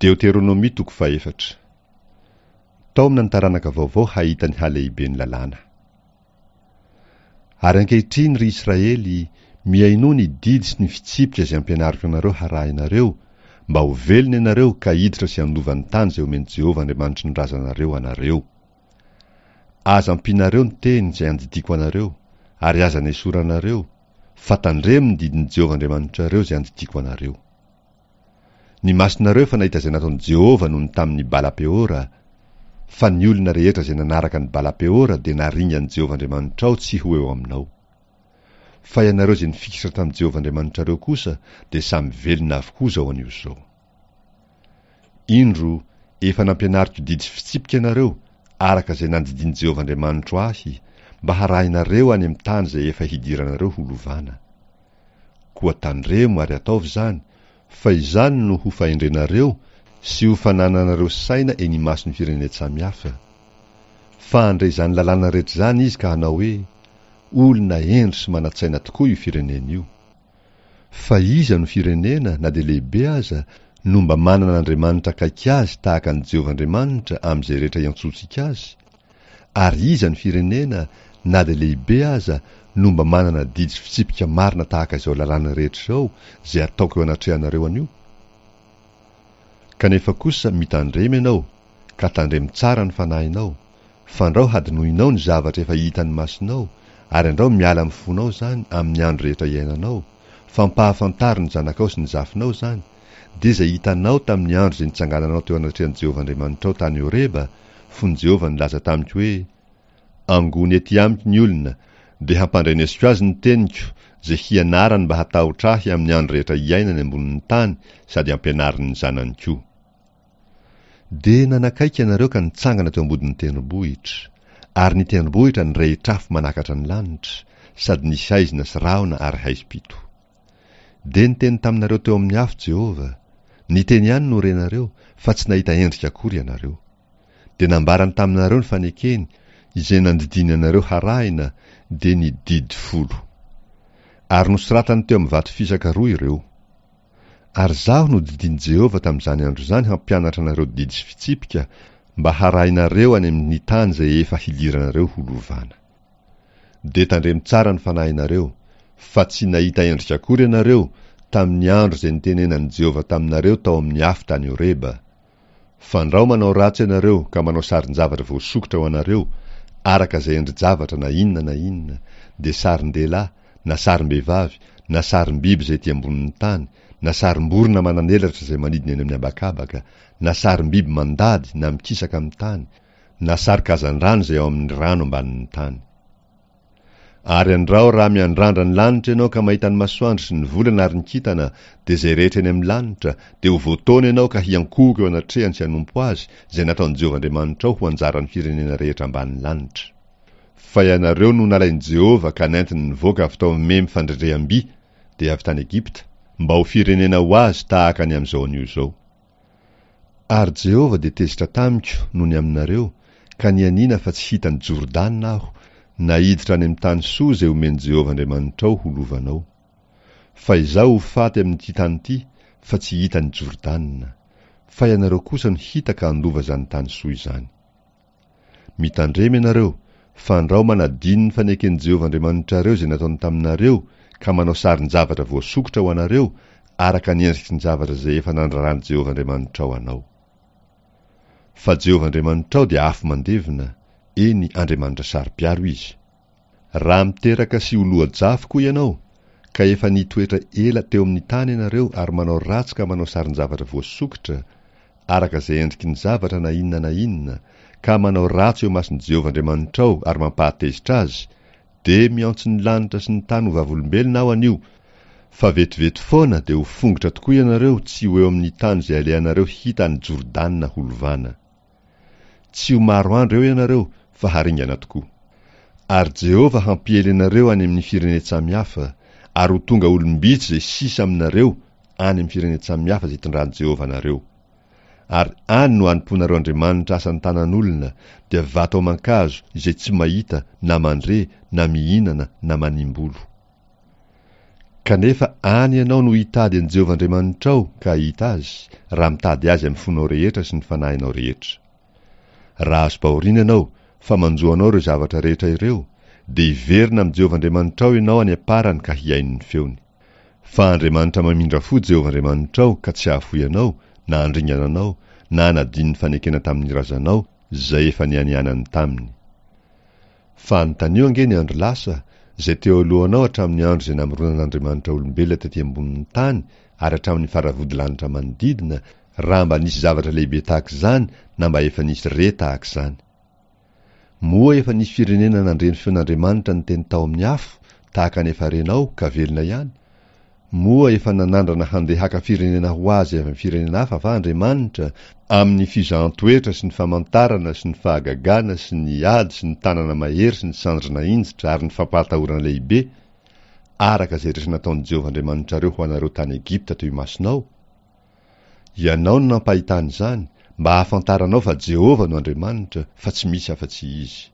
Deoteronomia toko fahefatra. Taomina ny taranaka vaovao hahita ny halehiben'ny lalàna. Ary ankehitriny, ry Israely, mihainoa ny didy sy ny fitsipika izay ampianariko anareo harahinareo, mba ho velona ianareo ka hiditra sy handova ny tany izay omen'i Jehovah Andriamanitry ny razanareo anareo. Aza ampianareo ny teny izay andidiako anareo, ary aza nesoranareo, fa tandremo ny didin'i Jehovah Andriamanitrareo izay andidiako anareo. Ny masonareo efa nahita izay nataon'i Jehovah nony tamin'i Bala-peora, fa ny olona rehetra izay nanaraka an'i Bala-peora dia naringan'i Jehovah Andriamanitrao tsy ho eo aminao. Fa ianareo izay nifikitra tamin'i Jehovah Andriamanitrareo kosa dia samy velona avokoa izao anio izao. Indro, efa nampianariko didy sy fitsipika ianareo, araka izay nandidian'i Jehovah Andriamanitro ahy, mba harahinareo any amin'ny tany izay efa hidiranareo ho lovana. Koa tandremo ary ataovy izany, fa izany no ho fahendrenareo sy ho fanananareo saina eny imason'ny firenen-tsamihafa. Fa handre izany lalàna rehetra izany izy ka hanao hoe, Olona hendry sy manan-tsaina tokoa io firenena io. Fa iza no firenena, na dia lehibe aza, no mba manana Andriamanitra akaiky azy tahaka an'i Jehovah Andriamanitra amin'izay rehetra iantsoantsika azy? Ary iza ny firenena, na dia lehibe aza, no mba manana didy sy fitsipika marina tahaka izao lalàna rehetra izao izay ataoko eo anatrehanareo anio? Kanefa kosa mitandrema ianao, ka tandremo tsara ny fanahinao, fandrao hadinoinao ny zavatra efa hitan'ny masonao, ary andrao miala amin'ny fonao izany amin'ny andro rehetra iainanao, fampahafantaro ny zanakao sy ny zafinao izany, dia izay hitanao tamin'ny andro izay nitsangananao teo anatrehan'i Jehovah Andriamanitrao tany Horeba, fony Jehovah nilaza tamiko hoe, Angony etỳ amiko ny olona, dia hampandrenesiko azy ny teniko, izay hianarany mba hatahotra ahy amin'ny andro rehetra iainany ambonin'ny tany sady hampianariny ny zanany koa. Dia nanakaiky ianareo ka nitsangana teo ambodin'ny tendrombohitra, ary ny tendrombohitra nirehitra afo manakatra ny lanitra, sady nisy haizina sy rahona ary haizim-pito. Dia niteny taminareo teo amin'ny afo Jehovah. Niteny ihany no renareo, fa tsy nahita endrika akory ianareo. Dia nambarany taminareo ny fanekeny, izay nandidiany anareo harahina, dia ny Didy Folo. Ary nosoratany teo amin'ny vato fisaka roa ireo. Ary izaho no didian'i Jehovah tamin'izany andro izany hampianatra anareo didy sy fitsipika, mba harahinareo any amin'ny tany izay efa hidiranareo ho lovana. Dia tandremo tsara ny fanahinareo, fa tsy nahita endrika akory ianareo tamin'ny andro izay nitenenan'i Jehovah taminareo tao amin'ny afo tany Horeba. Fandrao manao ratsy ianareo ka manao sarin-javatra voasokitra ho anareo, araka izay endri-javatra na inona na inona, dia sarin-dehilahy, na sarim-behivavy, na sarim-biby izay ety ambonin'ny tany, na sarim-borona manan'elatra izay manidina eny amin'ny habakabaka, na sarim-biby mandady na mikisaka amin'ny tany, na sary-kazandrano izay ao amin'ny rano ambanin'ny tany. Ary andrao raha miandrandra ny lanitra ianao ka mahita ny masoandro sy ny volana ary ny kintana, dia izay rehetra eny amin'ny lanitra, dia ho voataona ianao ka hiankohoka eo anatrehany sy hanompo azy, izay nataon'i Jehovah Andriamanitrao ho anjaran'ny firenena rehetra ambanin'ny lanitra. Fa ianareo no nalain'i Jehovah ka nentiny nivoaka avy tao amin'ny memy fandrendreham-by, dia avy tany Egypta, mba ho firenena ho azy tahaka ny amin'izao anio izao. Ary Jehovah dia tezitra tamiko noho ny aminareo, ka nianiana fa tsy hita an'i Jordana aho, na hiditra any amin'ny tany soa izay omen'i Jehovah Andriamanitrao ho lovanao. Fa izaho ho faty amin'ity tany ity, fa tsy hita an'i Jordana. Fa ianareo kosa no hita ka handova izany tany soa izany. Mitandrema ianareo, fandrao manadino ny faneken'i Jehovah Andriamanitrareo izay nataony taminareo ka manao sarin-javatra voasokitra ho anareo araka ny endriky ny zavatra izay efa nandraran'i Jehovah Andriamanitrao anao. Fa Jehovah Andriamanitrao dia afo mandevona, eny, Andriamanitra saro-piaro Izy. Raha miteraka sy ho loa-jafy koa ianao, ka efa nitoetra ela teo amin'ny tany ianareo ary manao ratsy ka manao sarin-javatra voasokitra, araka izay endriky ny zavatra na inona na inona, ka manao ratsy eo imason'i Jehovah Andriamanitrao ary mampahatezitra azy, dia miantso ny lanitra sy ny tany ho vavolombelona aho anio, fa vetivety foana dia ho fongotra tokoa ianareo tsy ho eo amin'ny tany izay alehanareo hita any Jordana holovana. Tsy ho maro andro eo ianareo, fa haringana tokoa. Ary Jehovah hampiely anareo any amin'ny firenen-tsamihafa, ary ho tonga olom-bitsy izay sisa aminareo any amin'ny firenen-tsamihafa izay itondran'i Jehovah anareo. Ary any no hanompoanareo andriamanitra asan-tanan'olona, dia vato aman-kazo izay tsy mahita na mandre na mihinana na manimbolo. Kanefa any ianao no hitady an'i Jehovah Andriamanitrao ka hahita azy, raha mitady azy amin'ny fonao rehetra sy ny fanahinao rehetra. Raha azom-pahoriana ianao, fa manjo anao ireo zavatra rehetra ireo, dia hiverina amin'i Jehovah Andriamanitrao ianao any am-parany ka hihaino ny feony. Fa Andriamanitra mamindra fo Jehovah Andriamanitrao ka tsy hahafoy anao, na handringana anao, na hanadino ny fanekena tamin'ny razanao, izay efa nianianany taminy. Fa anontanio ange ny andro lasa, izay teo alohanao hatramin'ny andro izay namoronan'Andriamanitra olombelona tety ambonin'ny tany ary hatramin'ny faravodilanitra manodidina, raha mba nisy zavatra lehibe tahaka izany na mba efa nisy re tahaka izany. Moa efa nisy firenena nandre ny feon'Andriamanitra niteny tao amin'ny afo, tahaka ny efa renao, ka velona ihany? Moa efa nanandrana handeha haka firenena ho azy avy amin'ny firenena hafa va Andriamanitra, amin'ny fizahan-toetra sy ny famantarana sy ny fahagagana sy ny ady sy ny tanana mahery sy ny sandry nahinjitra ary ny fampahatahorana lehibe, araka izay rehetra nataon'i Jehovah Andriamanitrareo ho anareo tany Egypta teo imasonao? Ianao no nampahitana izany, mba hahafantaranao fa Jehovah no Andriamanitra, fa tsy misy afa-tsy Izy.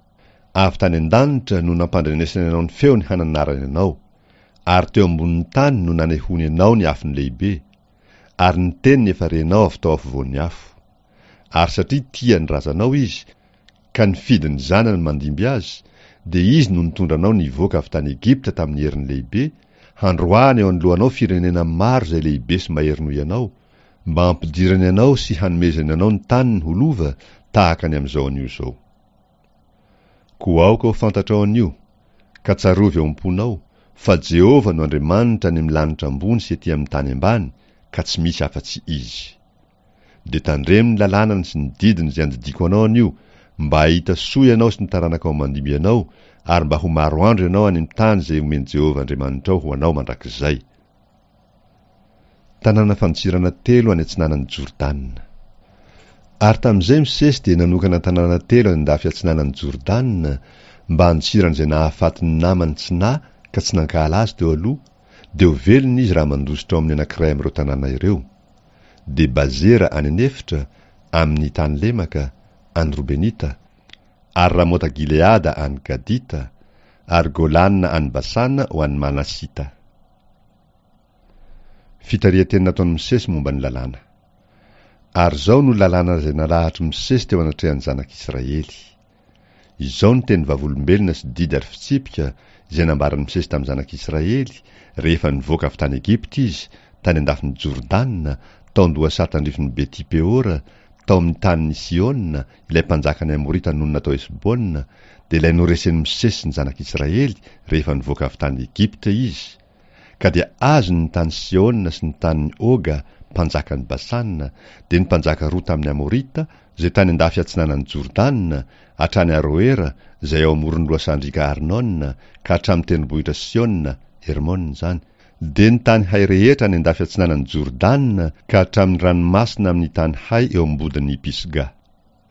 Avy tany an-danitra no nampandrenesany anao ny feony hananarany anao, ary teo ambonin'ny tany no nanehoany anao ny afony lehibe, ary ny teniny efa renao avy tao afovoan'ny afo. Ary satria tia ny razanao Izy, ka nifidy ny zanany mandimby azy, dia Izy no nitondra anao nivoaka avy tany Egypta tamin'ny heriny lehibe, handroahany eo anoloanao firenena maro izay lehibe sy mahery noho ianao, mba hampidirany anao sy hanomezany anao ny taniny ho lova, tahaka ny amin'izao anio izao. Koa aoka ho fantatrao anio, ka tsarovy ao am-ponao, fa Jehovah no Andriamanitra any amin'ny lanitra ambony sy ety amin'ny tany ambany, ka tsy misy afa-tsy Izy. Dia tandremo ny lalànany sy ny didiny izay andidiako anao anio, mba hahita soa ianao sy ny taranakao mandimby anao, ary mba ho maro andro ianao any amin'ny tany izay omen'i Jehovah Andriamanitrao ho anao mandrakizay. Tanàna fandosirana telo any atsinanan'i Jordana. Ary tamin'izay Mosesy dia nanokana tanàna telo any an-dafy atsinanan'i Jordana, mba handosiran'izay nahafaty ny namany tsy nahy ka tsy nankahala azy teo aloha, dia ho velona izy raha mandositra ao amin'ny anankiray amin'ireo tanàna ireo. Dia Bazera any an'efitra, amin'ny tany lemaka, any Robenita, ary Ramota-Gileada any Gadita, ary Golana any Basana ho an'ny Manasita. Fitarihan-teny nataon'i Mosesy momba ny lalàna. Ary izao no lalàna izay nalahatr'i Mosesy teo anatrehan'ny zanak'Israely. Izao no teny vavolombelona sy didy ary fitsipika izay nambaran'i Mosesy tamin'ny zanak'Israely rehefa nivoaka avy tany Egypta izy, tany an-dafin'i Jordana, tao an-dohasaha tandrifin'i Beti-Peora, tao amin'ny tanin'i Sihona, ilay mpanjakan'ny Amorita nonina tao Hesbona, dia ilay noresen'i Mosesy sy ny zanak'Israely rehefa nivoaka avy tany Egypta izy, ka dia azony ny tany Sihona sy ny tanin'i Oga, mpanjakan'i Basana, dia ny mpanjaka roa tamin'ny Amorita, izay tany an-dafy atsinanan'i Jordana, hatrany Aroera, izay ao amoron'ny lohasahan-driaka Arnona, ka hatramin'ny tendrombohitra Siona, Hermona izany, dia ny tany hay rehetra any an-dafy atsinanan'i Jordana ka hatramin'ny ranomasina amin'ny tany hay eo am-bodin'i Pisga.